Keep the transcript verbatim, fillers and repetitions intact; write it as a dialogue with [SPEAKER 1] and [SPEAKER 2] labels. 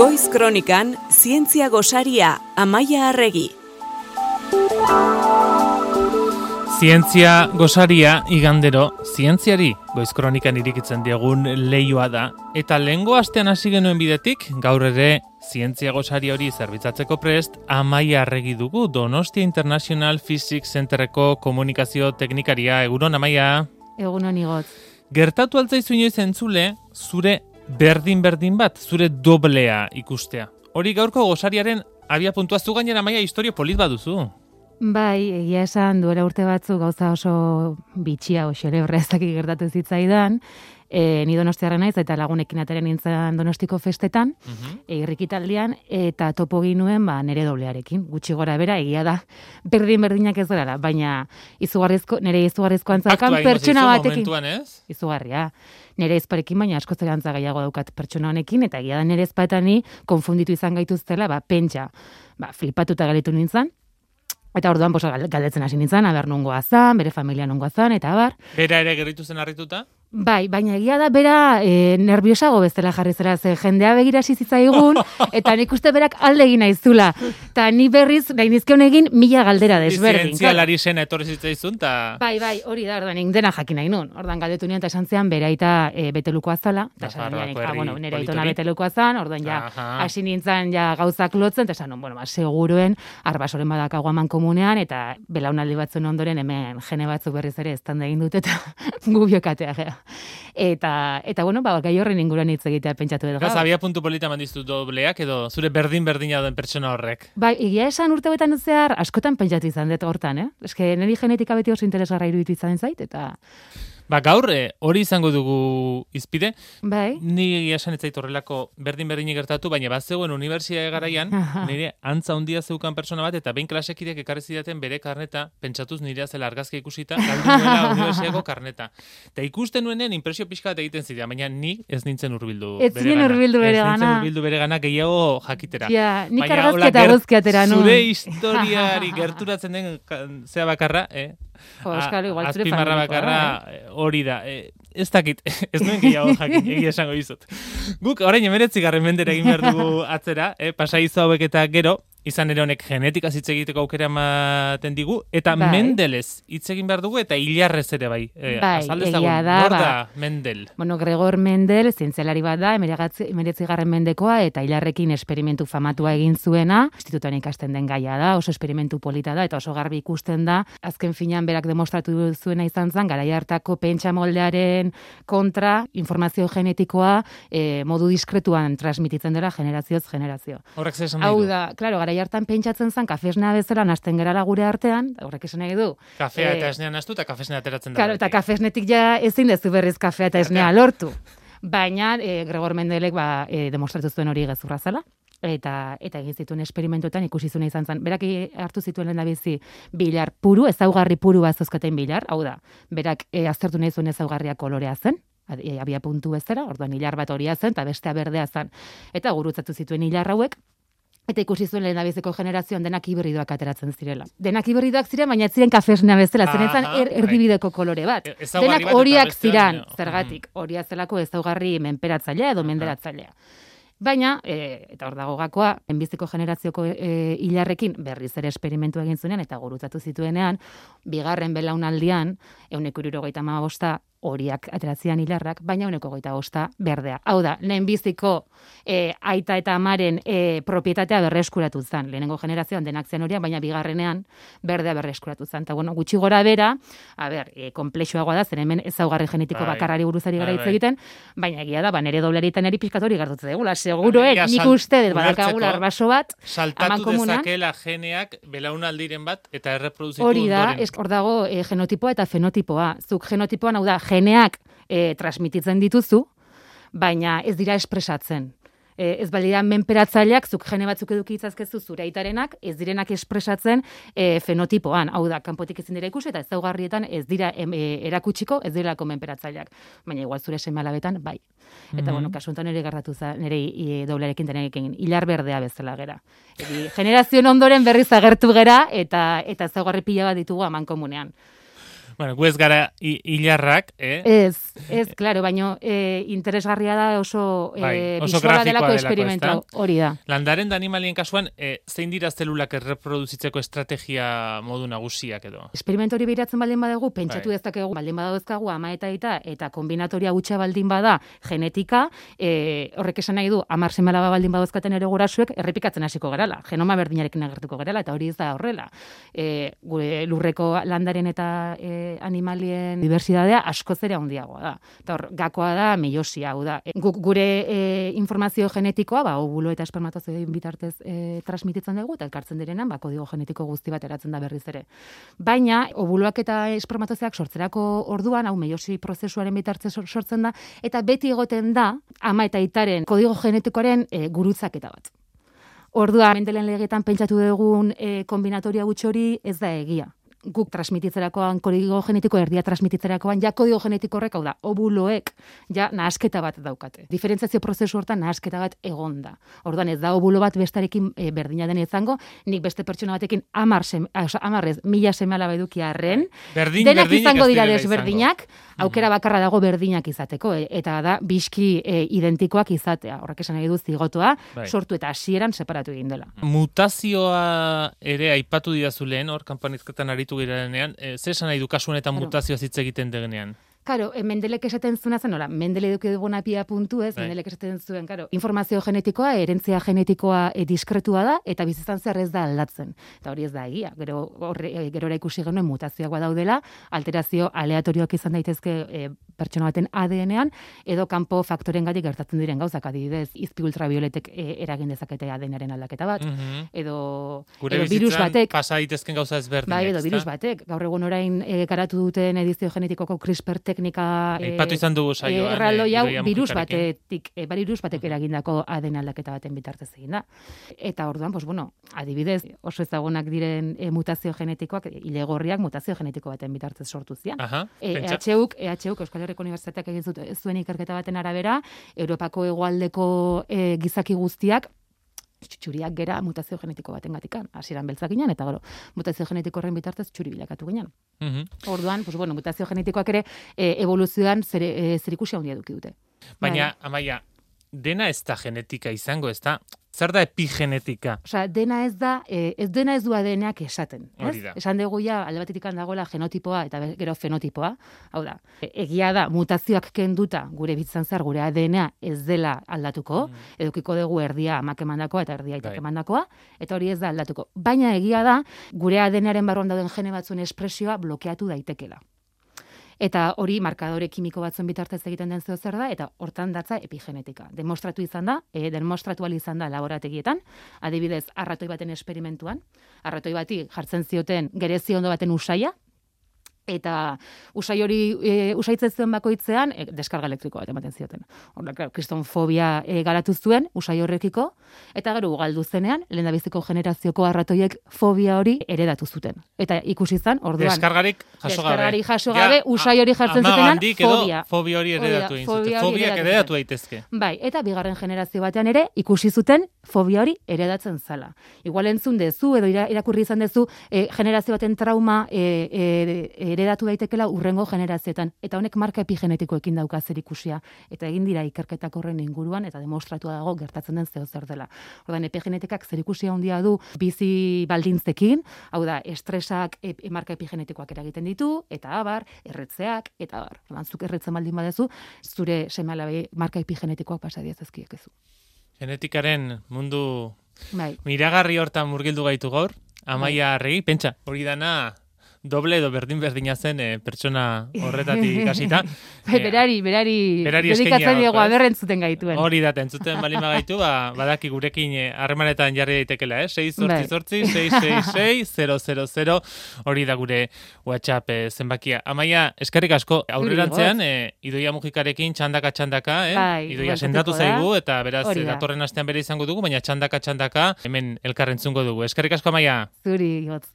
[SPEAKER 1] Goiz Kronikan, zientzia gosaria, Amaia Arregi.
[SPEAKER 2] Zientzia gosaria igandero, zientziari Goiz Kronikan irikitzen diegun leioa da. Eta lehengo astean hasi genuen bidetik, gaur ere zientzia gosari hori zerbitzatzeko prest, Amaia Arregi dugu, Donostia International Physics Centerreko komunikazio teknikaria. Egunon, Amaia?
[SPEAKER 3] Egunon, Igotz.
[SPEAKER 2] Gertatu altzaizu inoiz entzule, zure berdin-berdin bat, zure doblea ikustea. Hori gaurko gosariaren abia puntua zu gainera, Amaia, historio polit baduzu.
[SPEAKER 3] Bai, egia esan duela urte batzu gauza oso bitxia, oso lebra ezakik gertatu zitzaidan, e, ni donostiarra naiz eta lagunekin ateren nintzen Donostiko festetan, uh-huh. e, irrikitaldian, eta topo ginuen ba, nire doblearekin, gutxi gora bera, egia da, berdin-berdinak ez dara, baina izugarrizko, nire izugarrizko antzakan pertsona batekin. Izugarria. Nire ezparekin, baina asko zerantza gehiago daukat pertsona honekin, eta egia da nire ezpatani konfunditu izan gaituztela, ba, pentsa, ba, flipatuta galitu nintzen. Eta orduan posa galdetzen hasi nintzen, aber nungoa zan, bere familia nungoa zan, eta abar.
[SPEAKER 2] Bera ere gerritu zen harrituta?
[SPEAKER 3] Bai, baina egia da bera e, nerviosago bezala jarri zera, ze jendea begirasi zitzaigun, eta nik uste berak alde egin naizula. Eta ni berriz, nahi nizkion egin, mila galdera desberdin.
[SPEAKER 2] Zientzialari zena etorri zitzaizun, ta...
[SPEAKER 3] Bai, bai, hori da, orduan, dena jakin nahi nun. Orduan galdetu nian, eta esan zean, bera eta e, betelukoa zala, eta esan nian, ah, bueno, nire aitona betelukoa zan, orduan ja, hasi nintzen ja gauzak lotzen, eta esan nun, bueno, ba, seguruen, arbasoren badakago aman komunean, eta belaunaldi batzuen ondoren, hemen jene batzu berriz ere estanda egin dut, eta gubiokatea, gea. Eta, eta bueno, ba, gai horren inguruan hitz egitea pentsatu edo.
[SPEAKER 2] Gaz, abia puntu polita mandizu dobleak, edo zure berdin-berdina den pertsona horrek?
[SPEAKER 3] Bai, egia esan urte betan zehar, askotan pentsatu izan dut hortan, eh? Eske, niri genetika beti oso interesgarra iruditu izan zait, eta...
[SPEAKER 2] Ba, gaur, hori izango dugu izpide.
[SPEAKER 3] Bai.
[SPEAKER 2] Ni egia esan ez zait horrelako berdin-berdini gertatu, baina bat zegoen unibertsitate garaian, nire antza handia zeukan pertsona bat, eta behin klasekideak ekarri zidaten bere karneta, pentsatuz nirea zela argazkia ikusita, galdu nuela unibertsitateko karneta. Eta ikusten nuenen impresio pixka bat egiten zidean, baina ni ez nintzen hurbildu bere gana.
[SPEAKER 3] Ez zinen hurbildu bere gana.
[SPEAKER 2] Ez nintzen hurbildu bere gana gehiago jakitera.
[SPEAKER 3] Ja, nik argazketa guzkiatera, no?
[SPEAKER 2] Zure historiari gerturatzen den zea bakarra, eh?
[SPEAKER 3] Jo, eskalo, igual zure
[SPEAKER 2] azpimarra bakarra hori da. E, ez dakit, ez nuen gehiago jakin, egia esango dizut. Guk orain hemeretzi garren mendera egin behar dugu atzera, eh? Pasaizu hauek eta gero, izan ere honek genetika hitz egiteko aukera ematen digu, eta bai. Mendelez hitz egin behar dugu, eta hilarrez ere bai. E,
[SPEAKER 3] bai, egia da.
[SPEAKER 2] Nor da
[SPEAKER 3] ba,
[SPEAKER 2] Mendel?
[SPEAKER 3] Bueno, Gregor Mendel, zientzialari bat da, hemeretzi garren mendekoa, eta hilarrekin esperimentu famatua egin zuena, institutuan ikasten den gaia da, oso esperimentu polita da, eta oso garbi ikusten da, azken finean berak demostratu zuena izan zen, garai hartako pentsa moldearen kontra, informazio genetikoa e, modu diskretuan transmititzen dela generazioz generazio.
[SPEAKER 2] Horrek zer esan nahi du?
[SPEAKER 3] Hau da, klaro, garai hartan pentsatzen zen kafesnea bezala nahasten gerala gure artean, horrek esan nahi du.
[SPEAKER 2] Kafea
[SPEAKER 3] e,
[SPEAKER 2] eta esnea nahastu eta kafesnea ateratzen da.
[SPEAKER 3] Claro, eta kafesnetik ja ezin dezu berriz kafea eta esnea lortu. Baina e, Gregor Mendelek ba, e, demostratu zuen hori gezurra zela. Eta eta egin zituen esperimentuetan ikusi zuena izan zen. Berak hartu zituen lehendabizi bilar puru, ezaugarri puru bat zozkaten bilar, hau da, berak e, aztertu nahi zuen ezaugarria kolorea zen, abia puntu bezala, orduan hilar bat horia zen, eta bestea berdea zen. Eta gurutzatu zituen hilar hauek, eta ikusi zuen lehendabiziko generazioan denak hibridoak ateratzen zirela. Denak hibridoak ziren, baina ez ziren kafesnea bezala, zen ezan er, erdibideko kolore bat.
[SPEAKER 2] E,
[SPEAKER 3] denak horiak ziren, zergatik, horia zelako ezaugarri menperatzailea edo menderatzailea. Baina, e, eta hor dago gakoa, enbiziko generazioko e, hilarrekin berriz ere esperimentu egin zuenean, eta gurutzatu zituenean, bigarren belaunaldian, ehuneko hirurogeita hamabosta horiak ateratzian hilarrak, baina ehuneko hogeita bosta berdea. Hau da, lehenbiziko e, aita eta amaren e, propietatea berreskuratu zen. Lehenengo generazioan denak zen horiak, baina bigarrenean berdea berreskuratu zen. Eta bueno, gutxi gora bera, a ber, e, komplexuagoa da, zen hemen ezaugarri genetiko bai. Bakarrari buruzari gara hitz egiten, baina egia da, ba, nere doblerietan eri pixkatori gartutzen dugula. Seguroen, nik uste, badakagula arbaso bat,
[SPEAKER 2] saltatu dezakela geneak belaunaldiren bat, eta erreproduzitu
[SPEAKER 3] hori da,
[SPEAKER 2] ondoren.
[SPEAKER 3] Hor dago e, genotipoa eta fenotipoa. Zuk genotipoan, hau da, geneak e, transmititzen dituzu, baina ez dira espresatzen. E, ez balira menperatzaileak, zuk gene batzuk eduki itzazkezu zure aitarenak, ez direnak espresatzen e, fenotipoan. Hau da, kanpotik ezin dira ikusi, eta ezaugarrietan ez dira em, e, erakutsiko, ez direlako menperatzaileak. Baina igual zure seme-alabetan, bai. Eta, mm-hmm. bueno, kasu honetan nire garratu za, nire e, doblearekin tenekin, hilar berdea bezala gera. Eri, generazioen ondoren berriz agertu gera, eta eta ezaugarri pila bat ditugu aman komunean.
[SPEAKER 2] Bueno, gu ez gara hilarrak, eh?
[SPEAKER 3] Ez, ez, claro, baina e, interesgarria da oso, e,
[SPEAKER 2] bai, oso
[SPEAKER 3] bisuala delako
[SPEAKER 2] delako,
[SPEAKER 3] esperimentu
[SPEAKER 2] ezta?
[SPEAKER 3] hori da.
[SPEAKER 2] Landaren da animalien kasuan, e, zein dira zelulak erreproduzitzeko estrategia modu nagusiak edo?
[SPEAKER 3] Esperimentu hori behiratzen baldin badegu, pentsatu
[SPEAKER 2] Bai.
[SPEAKER 3] dezakegu, baldin badauzkagu ama eta aita, eta kombinatoria gutxa baldin bada genetika, e, horrek esan nahi du, amar seme-alaba baldin badauzkaten ere gurasuek, errepikatzen hasiko gerala, genoma berdinarekin agertuko gerala, eta hori ez da horrela. E, gure lurreko landaren eta e, animalien diversitatea askoz ere handiagoa da. Eta hor, gakoa da meiosia, hau da. E, guk gure e, informazio genetikoa, ba, ovulo eta espermatozoiden bitartez e, transmititzen dugu, eta elkartzen direnan, ba, kodigo genetiko guzti bat eratzen da berriz ere. Baina, ovuloak eta espermatozoiak sortzerako orduan, hau meiosi prozesuaren bitartez sortzen da, eta beti egoten da, ama eta aitaren kodigo genetikoaren e, gurutzaketa bat. Ordua, Mendelen legetan pentsatu dugun e, kombinatoria gutxi hori ez da egia. Guk transmititzerakoan, kodigo genetiko erdia transmititzerakoan, ja kodigo genetiko horrek, hau da, ovuloek, ja nahasketa bat daukate. Diferentziazio prozesu hortan nahasketa bat egon da. Orduan ez da ovulo bat bestarekin e, berdina den izango, nik beste pertsona batekin amar, sem, oza, amarrez, mila seme-alaba eduki arren,
[SPEAKER 2] Berdin,
[SPEAKER 3] denak izango dira
[SPEAKER 2] direla
[SPEAKER 3] desberdinak, aukera bakarra dago berdinak izateko, e, eta da biski e, identikoak izatea. Horrek esan nahi du zigotoa,
[SPEAKER 2] Bai.
[SPEAKER 3] sortu eta hasieran separatu egin dela.
[SPEAKER 2] Mutazioa ere aipatu didazu lehen, hor, kanpanizketan aritu girenean, e, ze esan nahi du kasu honetan
[SPEAKER 3] Claro.
[SPEAKER 2] mutazioa hitz egiten degenean?
[SPEAKER 3] Karo, e, Mendelek esaten zuena zen, nola, Mendele eduki duguna pia puntu ez,
[SPEAKER 2] Bai.
[SPEAKER 3] Mendelek esaten zuen, karo, informazio genetikoa, herentzia genetikoa e, diskretua da, eta bizitzan zer ez da aldatzen. Eta hori ez da egia, gero, horre, e, gerora ikusi genuen mutazioak badaudela, alterazio aleatorioak izan daitezke e, pertsona baten A D N-ean, edo kanpo faktorengatik gertatzen diren gauzak, adibidez, izpi ultravioletek e, eragin dezakete A D N-aren aldaketa bat,
[SPEAKER 2] Mhm.
[SPEAKER 3] edo,
[SPEAKER 2] Gure
[SPEAKER 3] edo virus
[SPEAKER 2] bizitzan
[SPEAKER 3] batek,
[SPEAKER 2] pasa daitezken gauza ezberdinak,
[SPEAKER 3] bai, edo
[SPEAKER 2] ezta?
[SPEAKER 3] virus batek, gaur egun orain e, garatu duten edizio genetikoko CRISPR teknika e,
[SPEAKER 2] Aipatu izan dugu saioan,
[SPEAKER 3] e, erraldoi hau
[SPEAKER 2] Idoia
[SPEAKER 3] virus
[SPEAKER 2] Mujikarekin.
[SPEAKER 3] batetik, e, virus batek eragindako A D N aldaketa baten bitartez egin da. Eta orduan, pues bueno, adibidez, oso ezagunak diren e, mutazio genetikoak, e, ilegorriak mutazio genetiko baten bitartez sortu zian.
[SPEAKER 2] Aha,
[SPEAKER 3] E,
[SPEAKER 2] pentsa.
[SPEAKER 3] EHUk, EHUk Euskal Herriko Unibertsitateak egin zut- zuen ikerketa baten arabera, Europako hegoaldeko e, gizaki guztiak txuriak gera mutazio genetiko baten gatikan. Hasieran beltzak ginen, eta gero, mutazio genetiko horren bitartez txuri bilakatu ginen.
[SPEAKER 2] Mhm.
[SPEAKER 3] Orduan, pues bueno, mutazio genetikoak ere e, evoluzioan zer, e, zerikusia handia eduki dute.
[SPEAKER 2] Baina,
[SPEAKER 3] Bai.
[SPEAKER 2] Amaia, dena ez da genetika izango, ez da? Zer da epigenetika?
[SPEAKER 3] Osea, dena ez da, e, ez dena ez du A D N-ak esaten. Ez?
[SPEAKER 2] Hori da.
[SPEAKER 3] Esan dugu ja, alde batetik dagoela genotipoa eta be- gero fenotipoa. Hau da, e, egia da, mutazioak kenduta gure bizitzan zehar gure A D N-a ez dela aldatuko, edukiko dugu erdia amak emandakoa eta erdia aitak
[SPEAKER 2] Bai.
[SPEAKER 3] emandakoa, eta hori ez da aldatuko. Baina egia da, gure A D N-aren barruan dauden gene batzuen espresioa blokeatu daitekela. Eta hori markadore kimiko batzuen bitartez egiten den zeo zer da, eta hortan datza epigenetika. Demostratu izan da, e, demostratu ahal izan da laborategietan, adibidez, arratoi baten esperimentuan, arratoi bati jartzen zioten gerezi ondo baten usaia, eta usai hori e, usaitzen zuen bakoitzean e, deskarga elektriko bat ematen zioten. Horrela, claro, kristonfobia e, garatu zuen usai horrekiko, eta gero ugaldu zenean, lehendabiziko generazioko arratoiek fobia hori eredatu zuten. Eta ikusi izan, orduan,
[SPEAKER 2] Deskargarik jaso gabe.
[SPEAKER 3] deskargarik jaso gabe, usai hori jartzen zutenan,
[SPEAKER 2] Amagandik edo
[SPEAKER 3] fobia.
[SPEAKER 2] fobia hori
[SPEAKER 3] Hori da,
[SPEAKER 2] eredatu egin
[SPEAKER 3] fobia
[SPEAKER 2] zuten.
[SPEAKER 3] hori
[SPEAKER 2] Fobiak
[SPEAKER 3] eredatu
[SPEAKER 2] eredatu
[SPEAKER 3] zuten.
[SPEAKER 2] daitezke.
[SPEAKER 3] Bai, eta bigarren generazio batean ere ikusi zuten fobia hori eredatzen zala. Igual entzun dezu edo ira- irakurri izan dezu e, generazio baten trauma e, e, eredatu daitekela urrengo generazioetan. Eta honek marka epigenetikoekin dauka zer ikusia. Eta egin dira ikerketak horren inguruan eta demostratua dago gertatzen den zeo zer dela. Orduan epigenetikak zer ikusia handia du bizi baldintzekin, hau da, estresak e, e, marka epigenetikoak eragiten ditu, eta abar, erretzeak, eta abar. Orduan, zuk erretzen baldin badezu, zure seme-alabei marka epigenetikoak pasa diezazkiekezu.
[SPEAKER 2] Genetikaren mundu
[SPEAKER 3] Bai.
[SPEAKER 2] miragarri hortan murgildu gaitu gaur. Amaia Arregi, pentsa, hori dana doble edo berdin berdina zen e, pertsona horretatik hasita.
[SPEAKER 3] Bai, berari, berari,
[SPEAKER 2] berari eskainia
[SPEAKER 3] dedikatzen diego
[SPEAKER 2] gaurko, ez?
[SPEAKER 3] aberrentzuten gaituen.
[SPEAKER 2] Hori da, entzuten bali magaitu, ba, badaki gurekin eh, harremanetan jarri daitekela, eh? sei zortzi zortzi, sei sei sei, zero zero zero, hori da gure WhatsApp eh, zenbakia. Amaia, eskerrik asko, aurrerantzean, eh, Idoia Mujikarekin txandaka-txandaka, eh?
[SPEAKER 3] Bai,
[SPEAKER 2] Idoia
[SPEAKER 3] bueltatuko
[SPEAKER 2] sendatu
[SPEAKER 3] da.
[SPEAKER 2] zaigu, eta beraz,
[SPEAKER 3] Hori
[SPEAKER 2] eh,
[SPEAKER 3] da.
[SPEAKER 2] datorren astean bere izango dugu, baina txandaka-txandaka hemen elkarrentzungo dugu. Eskerrik asko, Amaia.
[SPEAKER 3] Zuri, hotz.